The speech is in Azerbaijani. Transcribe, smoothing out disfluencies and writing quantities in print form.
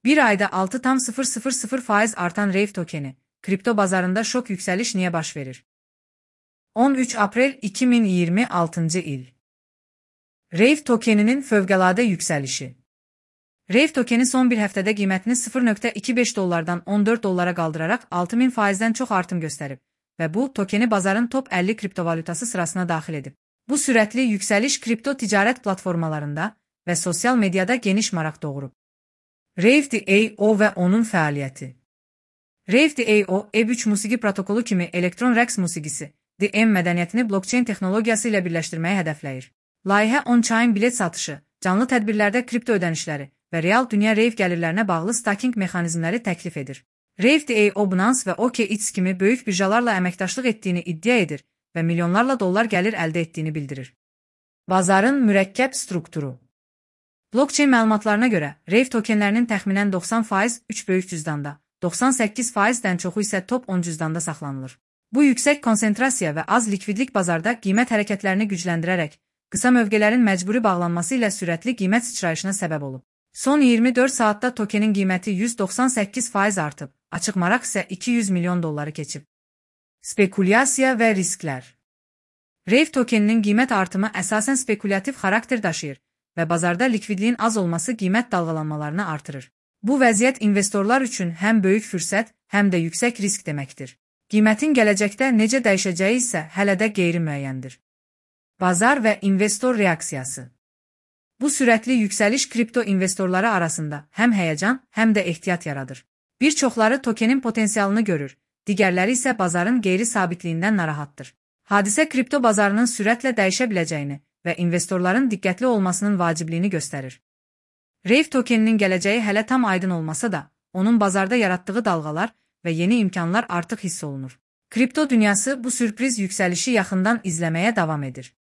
Bir ayda 6,000% artan Rave tokeni, kripto bazarında şok yükseliş niye baş verir? 13 April 2026 il. Rave tokeninin fövqəladə yükselişi. Rave tokeni son bir həftədə qiymətini $0.25'dan $14 qaldırarak 6000%'dən çox artım göstərib və bu, tokeni bazarın top 50 kriptovalutası sırasına daxil edib. Bu sürətli yükseliş kripto ticarət platformalarında və sosial medyada geniş maraq doğurub. Rave.io və onun fəaliyyəti. Rave.io, Web3 musiqi protokolu kimi elektron rəqs musiqisi, DM mədəniyyətini blockchain texnologiyası ilə birləşdirməyi hədəfləyir. Layihə on-chain bilet satışı, canlı tədbirlərdə kripto ödənişləri və real dünya Rave gəlirlərinə bağlı staking mexanizmləri təklif edir. Rave.io, Binance və OKX kimi böyük birjalarla əməkdaşlıq etdiyini iddia edir və milyonlarla dollar gəlir əldə etdiyini bildirir. Bazarın mürəkkəb strukturu. Blockchain məlumatlarına görə, Rave tokenlərinin təxminən 90% 3 böyük cüzdanda, 98%-dən çoxu isə top 10 cüzdanda saxlanılır. Bu yüksək konsentrasiya və az likvidlik bazarda qiymət hərəkətlərini gücləndirərək, qısa mövqələrin məcburi bağlanması ilə sürətli qiymət sıçrayışına səbəb olub. Son 24 saatda tokenin qiyməti 198% artıb, açıq maraq isə $200 milyon keçib. Spekulyasiya və risklər. Rave tokeninin qiymət artımı əsasən spekulativ xarakter daşıyır və bazarda likvidliyin az olması qiymət dalğalanmalarını artırır. Bu vəziyyət investorlar üçün həm böyük fürsət, həm də yüksək risk deməkdir. Qiymətin gələcəkdə necə dəyişəcəyi isə hələ də qeyri-müəyyəndir. Bazar və investor reaksiyası. Bu sürətli yüksəliş kripto investorları arasında həm həyəcan, həm də ehtiyat yaradır. Bir çoxları tokenin potensialını görür, digərləri isə bazarın qeyri-sabitliyindən narahatdır. Hadisə kripto bazarının sürətlə dəyişə biləcəyini və investorların diqqətli olmasının vacibliyini göstərir. Rave tokeninin gələcəyi hələ tam aydın olmasa da, onun bazarda yaratdığı dalğalar və yeni imkanlar artıq hiss olunur. Kripto dünyası bu sürpriz yüksəlişi yaxından izləməyə davam edir.